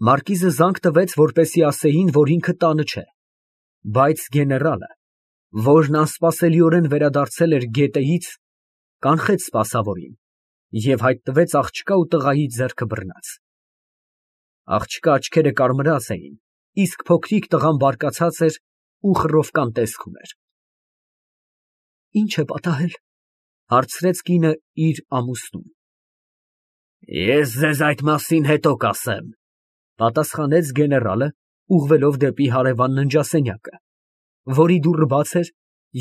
Մարկիզը զանգ տվեց, որպեսզի ասեին, որ ինքը տանը չէ, բայց գեներալը, որն անսպասելիորեն վերադարձել էր գետեից, կանխեց սպասավորին և հայտնվեց աղջկա ու տղայի ձեռքը բռնած։ Աղջկա աչքերը կարմրած էին, իսկ փոքրիկ տղան բարկացած էր ու խռովկան տեսք ուներ։ «Ի՞նչ է պատահել», ֊ հարցրեց կինը իր ամուսնուն։ «Ես ձեզ այդ մասին հետո կասեմ», ֊ պատասխանեց գեներալը, ուղղվելով դեպի հարևան ննջասենյակը, որի դուռը բաց էր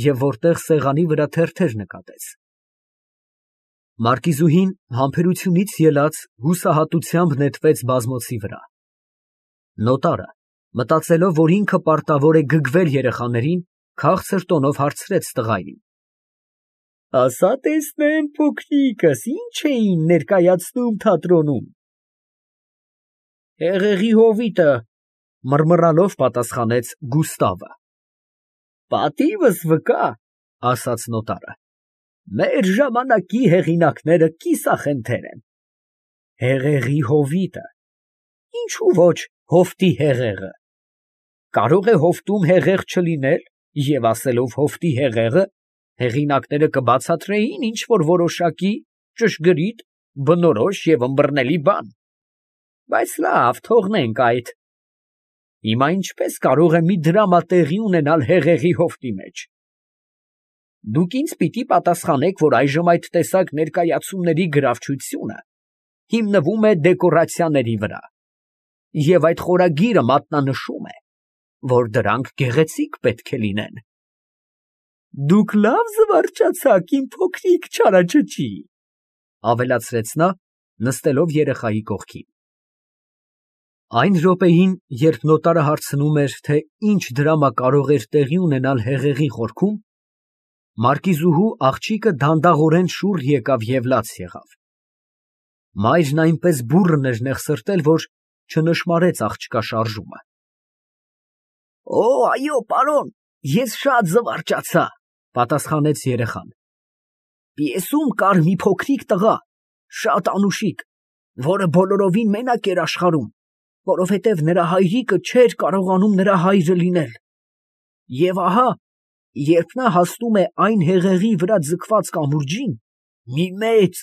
և որտեղ սեղանի վրա թերթեր նկատեց։ Մարկիզուհին համբերությունից ելած հուսահատությամբ նետվեց բազմոցի վրա։ Նոտարը, մտածելով, որ ինքը պարտավոր է գգվել երեխաներին, քաղցր տոնով հարցրեց տղային. «Ասա տեսնեմ, փոքրիկս, ի՞նչ էին ներկայացնում թատրոնում»։ «Հեղեղի հովիտը», ֊ մռմռալով պատասխանեց Գուստավը։ «Պատիվս վկա», ֊ ասաց նոտարը, «մեր ժամանակի հեղինակները կիսախնդեր են։ Հեղեղի հովիտը, ինչու ոչ հովտի հեղեղը։ Կարող է հովտում հեղեղ չլինել, և ասելով հովտի հեղեղը, հեղինակները կբացատրեին ինչ֊որ որոշակի, ճշգրիտ, բնորոշ և ըմբռնելի բան։ Բայց լավ, թողնենք այդ։ Հիմա ինչպես կարող է մի դրամա տեղի ունենալ հեղեղի հովտի մեջ։ Դուք ինձ պիտի պատասխանեք, որ այժմ այդ տեսակ ներկայացումների գրավչությունը հիմնվում է դեկորացիաների վրա, և այդ խորագիրը մատնանշում է, որ դրանք գեղեցիկ պետք է լինեն։ Դուք լավ զվարճացաք, իմ փոքրիկ չարաճճի, ֊ ավելացրեց նա, նստելով երեխայի կողքին։ Այն րոպեին, երբ նոտարը հարցնում էր, թե ինչ դրամա կարող էր տեղի ունենալ հեղեղի խորքում, մարկիզուհու աղջիկը դանդաղորեն շուռ եկավ և լաց եղավ։ Մայրն այնպես բուռն էր նեղսրտել, որ չնշմարեց աղջկա շարժումը։ «Օ, այո, պարոն, ես շատ զվարճացա», ֊ պատասխանեց երեխան։ «Պիեսում կար մի փոքրիկ տղա, շատ անուշիկ, որը բոլորովին մենակ էր աշխարհում, որովհետև նրա հայրիկը չէր կարողանում նրա հայրը լինել։ Եվ ահա, երբ նա հասնում է այն հեղեղի վրա ձգված կամուրջին, մի մեծ,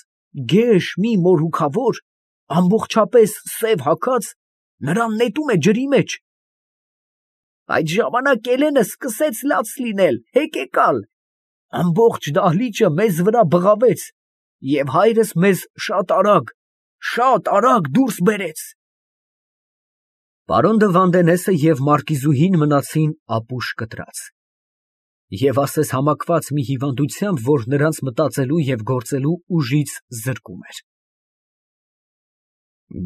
գեշ մի մորուքավոր, ամբողջապես սև հագած, նրան նետում է ջրի մեջ։ Այդ ժամանակ Էլենը սկսեց լաց լինել, հեկեկալ, ամբողջ դահլիճը մեզ վրա բղավեց, և հայրս մեզ շատ արագ դուրս բերեց»։ Պարոն դը Վանդենեսը և մարկիզուհին մնացին ապուշ կտրած և ասես համակված մի հիվանդությամբ, որ նրանց մտածելու և գործելու ուժից զրկում էր։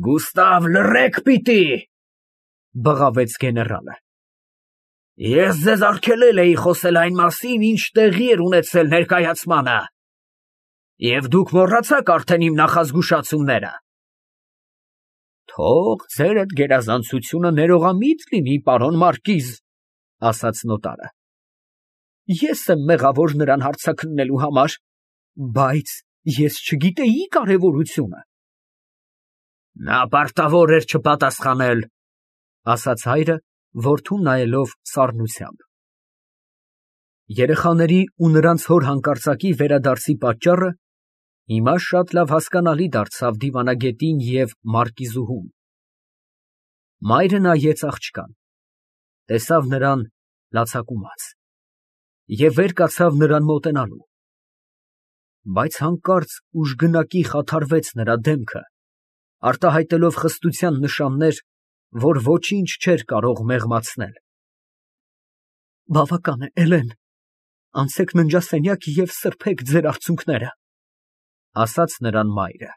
«Գուստավ, լռեք պիտի, ֊ բղավեց գեներալը, ֊ ես ձեզ արգելել էի խոսել այն մասին, ինչ տեղի էր ունեցել ներկայացմանը, և դուք մոռացաք արդեն իմ նախազգուշացումները։ Թող ձեր այդ գերազանցությունը ներողամիտ լինի, պարոն մարկիզ, ֊ ասաց նոտարը։ Ես եմ մեղավոր նրան հարցաքննելու համար, բայց ես չգիտեի կարևորությունը։ Նա պարտավոր էր չպատասխանել, ֊ ասաց հայրը, որդուն նայելով սառնությամբ։ Երեխաների ու նրանց հոր հանկարծակի վերադարձի պատճառը հիմա շատ լավ հասկանալի դարձավ դիվանագետին և մարկիզուհուն։ Մայրը նայեց աղջկան, տեսավ նրան լացակումած և վեր կացավ նրան մոտենալու, բայց հանկարծ ուժգնակի խաթարվեց նրա դեմքը, արտահայտելով խստության նշաններ, որ ոչինչ չէր կարող մեղմացնել։ Բավական է, Էլեն, անցեք ննջասենյակ և սրբեք ձեր արցունքները, ֊ ասաց նրան մայրը։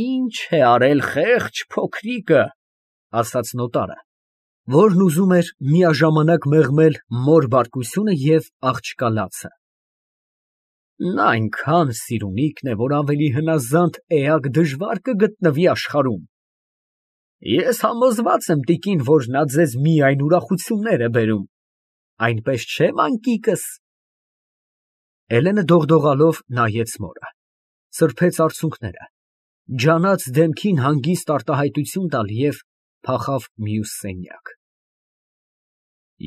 Ինչ է արել խեղճ փոքրիկը, ֊ ասաց նոտարը, որն ուզում էր միաժամանակ մեղմել մոր բարկությունը և աղջկա լացը։ Նա այնքան սիրունիկն է, որ ավելի հնազանդ էակ դժվար կգտնվի աշխարհում։ Ես համոզված եմ, տիկին, որ նա ձեզ միայն ուրախություններ է բերում, այնպես չէ՞, մանկիկս։ Էլենը դողդողալով նայեց մորը, սրբեց արցունքները Ջանաց դեմքին հանգիստ արտահայտություն տալ և փախավ մյուս սենյակ։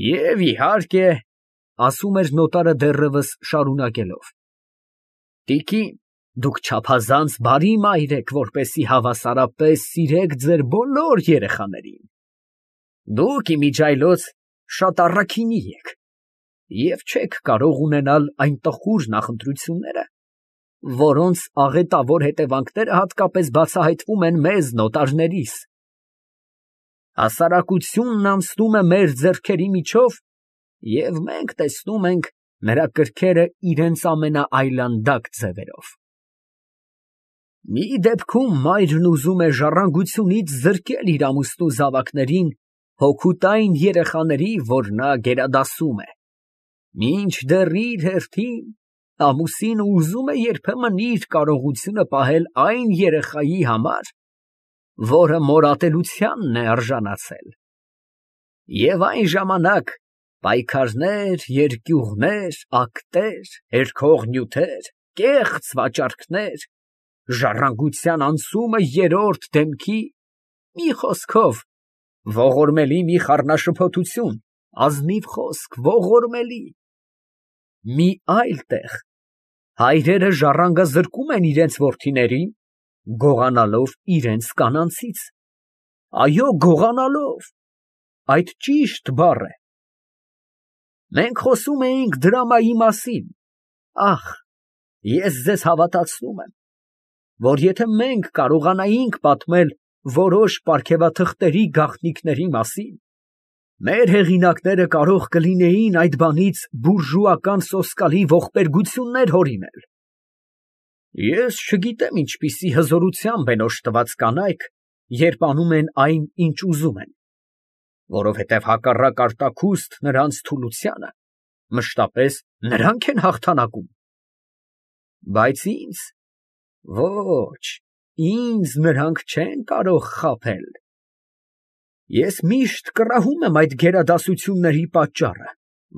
Եվ իհարկե, ասում էր նոտարը դեռևս շարունակելով, տիկին, դուք չափազանց բարի մայր եք, որպեսզի հավասարապես սիրեք ձեր բոլոր երեխաներին։ Դուք իմիջիայլոց շատ առաքինի եք և չեք կարող ունենալ այն տխուր նախընտրությունները, որոնց աղետավոր հետևանքները հատկապես բացահայտվում են մեզ նոտարներիս։ Հասարակությունն անցնում է մեր ձեռքերի միջով, և մենք տեսնում ենք նրա կրքերը իրենց ամենաայլանդակ ձևերով։ Մի դեպքում մայրն ուզում է ժառանգությունից զրկել իր ամուսնու զավակներին հոգուտային երեխաների, որ նա գերադասում է, մինչդեռ իր հերթին ամուսինը ուզում է երբեմն իր կարողությունը պահել այն երեխայի համար, որը մորատելությանն է արժանացել։ Եվ այն ժամանակ պայքարներ, երկյուղներ, ակտեր, հերքող նյութեր, կեղծ վաճառքներ, ժառանգության անցումը երրորդ դեմքի, մի խոսքով, ողորմելի մի խառնաշփոթություն, ազնիվ խոսք, ողորմելի։ Մի այլ տեղ հայրերը ժառանգազրկում են իրենց որդիներին, գողանալով իրենց կանանցից։ Այո, գողանալով, այդ ճիշտ բառ է։ Մենք խոսում էինք դրամայի մասին։ Ախ, ես ձեզ հավատացնում եմ, որ եթե մենք կարողանայինք պատմել որոշ պարգևաթղթերի գաղտնիքների մասին, մեր հեղինակները կարող կլինեին այդ բանից բուրժուական սոսկալի ողբերգություններ հորինել։ Ես չգիտեմ ինչպիսի հզորությամբ են օժտված կանայք, երբ անում են այն, ինչ ուզում են, որովհետև հակառակ արտաքուստ նրանց թուլությանը, մշտապես նրանք են հաղթանակում։ Բայց ինձ, ոչ, ինձ նրանք չեն կարող խաբել։ Ես միշտ կռահում եմ այդ գերադասությունների պատճառը,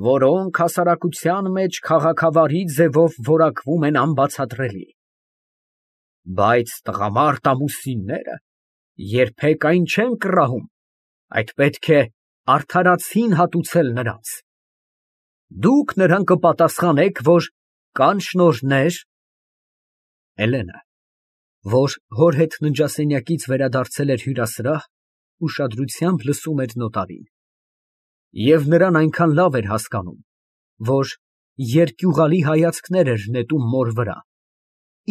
որոնք հասարակության մեջ քաղաքավարի ձևով որակվում են անբացատրելի։ Բայց տղամարդ ամուսինները երբեք այն չեն կռահում, այդ պետք է արդարացին հատուցել նրանց։ Դուք նրան կպատասխանեք, որ կան շնորհներ… Հելենը, որ հոր հետ ննջասենյակից վերադարձել էր հյուրասրահ, ուշադրությամբ լսում էր նոտարին, և նրան այնքան լավ էր հասկանում, որ երկյուղալի հայացքներ էր նետում մոր վրա,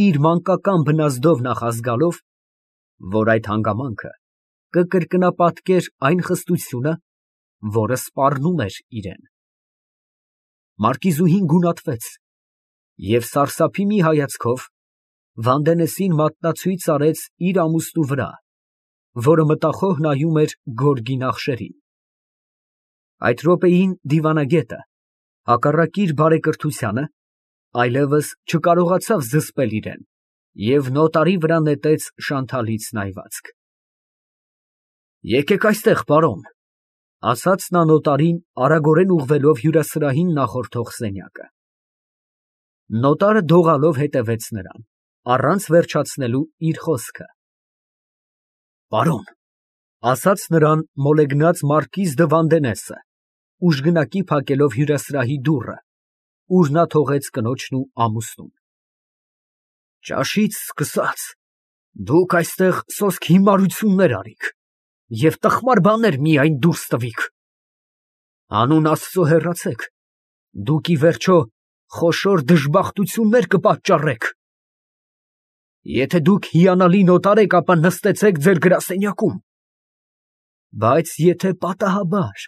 իր մանկական բնազդով նախազգալով, որ այդ հանգամանքը կկրկնապատկեր այն խստությունը, որը սպառնում էր իրան։ Մարկիզուհին գունատվեց և սարսափի մի հայացքով Վանդենեսին մատնացույց արեց իր ամուսնու վրա, որը մտախոհ նայում էր գորգի նախշերին։ Այդ րոպեին դիվանագետը, հակառակ իր բարեկրթությանը, այլևս չկարողացավ զսպել իրան և նոտարի վրա նետեց շանթալից նայվածք։ Եկեք այստեղ, պարոն, ֊ ասաց նա նոտարին, արագորեն ուղղվելով հյուրասրահին նախորդող սենյակը։ Նոտարը դողալով հետևեց նրան, առանց վերջացնելու իր խոսքը։ Պարոն, ֊ ասաց նրան մոլեգնած մարկիզ դը Վանդենեսը, ուժգնակի փակելով հյուրասրահի դուռը, ուր նա թողեց կնոջն ու ամուսնուն։ Ճաշից սկսած, դուք այստեղ սոսկ հիմարություններ արիք և տխմար բաներ միայն դուրս տվիք։ Հանուն Աստծո հեռացեք, դուք ի վերջո խոշոր դժբախտություններ կպատճառեք։ Եթե դուք հիանալի նոտար եք, ապա նստեցեք ձեր գրասենյակում, բայց եթե պատահաբար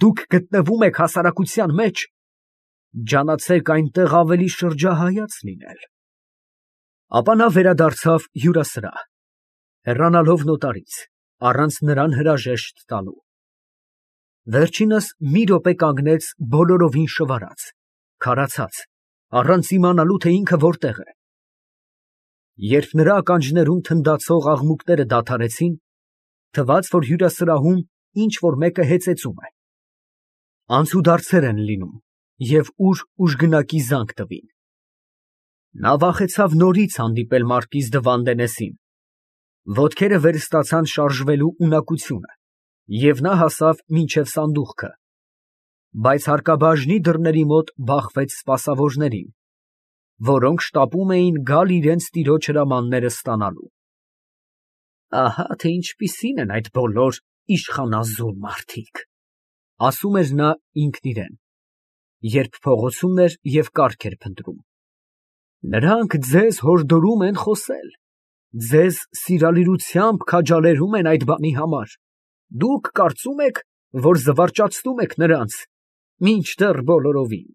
դուք գտնվում եք հասարակության մեջ, ջանացեք այնտեղ ավելի շրջահայաց լինել։ Ապա նա վերադարձավ հյուրասրահ, հեռանալով նոտարից, առանց նրան հրաժեշտ տալու։ Վերջինս մի րոպե կանգնեց բոլորովին շվարած, քարացած, առանց իմանալու, թե ինքը որտեղ է։ Երբ նրա ականջներում թնդացող աղմուկները դադարեցին, թվաց, որ հյուրասրահում ինչ֊որ մեկը հեծեծում է։ Անցուդարձեր են լինում, և ուր ուժգնակի զանգ տվին։ Նա վախեցավ նորից հանդիպել մարկիզ դը Վանդենեսին, Ոտքերը վերստացան շարժվելու ունակությունը, և նա հասավ մինչև սանդուղքը, բայց հարկաբաժնի դռների մոտ բախվեց սպասավորներին, որոնք շտապում էին գալ իրենց տիրոջ հրամանները ստանալու։ Ահա թե ինչպիսին են այդ բոլոր իշխանազոր մարդիկ, ասում էր նա ինքն իրեն, երբ փողոցում էր և կառք էր փնտրում։ Նրանք ձեզ հորդորում են խոսել, ձեզ սիրալիրությամբ քաջալերում են այդ բանի համար, դուք կարծում եք, որ զվարճացնում եք նրանց, մինչդեռ բոլորովին։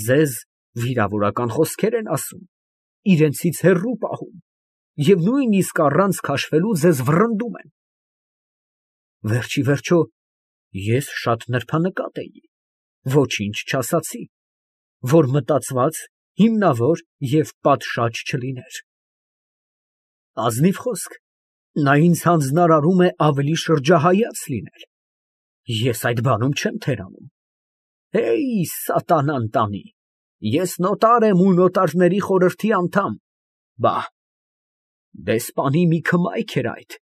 Ձեզ վիրավորական խոսքեր են ասում, իրենցից հեռու պահում և նույնիսկ առանց քաշվելու ձեզ վռնդում են։ Վերջիվերջո, ես շատ նրբանկատ էի, ոչինչ չասացի, որ մտածված, հիմնավոր և պատշաճ չլիներ։ Ազնիվ խոսք, նա ինձ հանձնարարում է ավելի շրջահայաց լինել, ես այդ բանում չեմ թերանում։ Հեյ, սատանան տանի, ես նոտար եմ ու նոտարների խորհրդի անդամ, բա, դեսպանի մի քմայք էր այդ,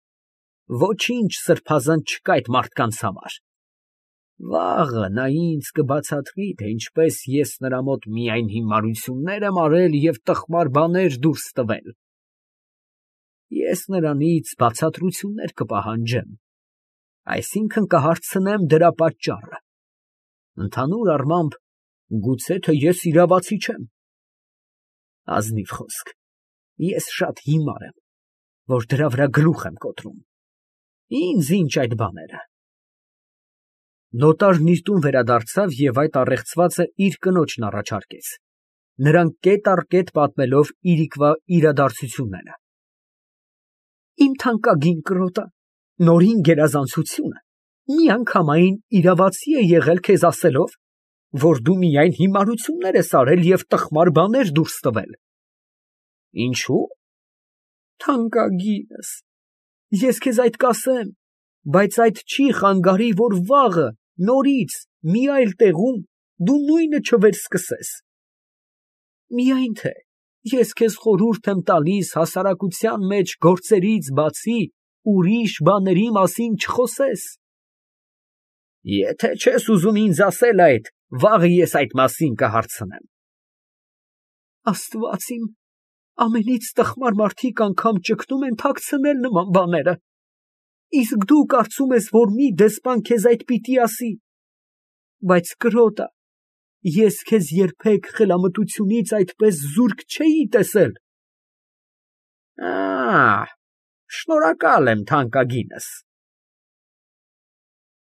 ոչինչ սրբազան չկա այդ մարդկանց համար։ Վաղը նա ինձ կբացատրի, թե ինչպես ես նրա մոտ միայն հիմարություններ եմ արել և տխմար բաներ դուրս տվել։ Ես նրանից բացատրություններ կպահանջեմ, այսինքն կհարցնեմ դրա պատճառը։ Ընդհանուր առմամբ, գուցե թե ես իրավացի չեմ։ Ազնիվ խոսք, ես շատ հիմար եմ, որ դրա վրա գլուխ եմ կոտրում։ Ինձ ինչ այդ բաները։ Նոտարն իր տուն վերադարձավ և այդ առեղծվածը իր կնոջն առաջարկեց, նրան կետ առ կետ պատմելով իրիկվա իրադարձությունները։ Իմ թանկագին կրոտա, նորին գերազանցությունը միանգամայն իրավացի է եղել քեզ ասելով, որ դու միայն հիմարություններ ես արել և տխմար բաներ դուրս տվել։ Ինչո՞ւ։ Թանկագինս, ես քեզ այդ կասեմ, բայց այդ չի խանգարի, որ վաղը, նորից, մի այլ տեղում դու նույնը չվերսկսես։ Միայն թե ես քեզ խորհուրդ եմ տալիս հասարակության մեջ գործերից բացի ուրիշ բաների մասին չխոսես։ Եթե չես ուզում ինձ ասել այդ, վաղը ես այդ մասին կհարցնեմ։ Աստված իմ, ամենից տխմար մարդիկ անգամ ճգնում են թաքցնել նման բաները, իսկ դու կարծում ես, որ մի դեսպան քեզ այդ պիտի ասի։ Բայց կրոտա, ես քեզ երբեք խելամտությունից այդպես զուրկ չէի տեսել։ Շնորհակալ եմ, թանկագինս,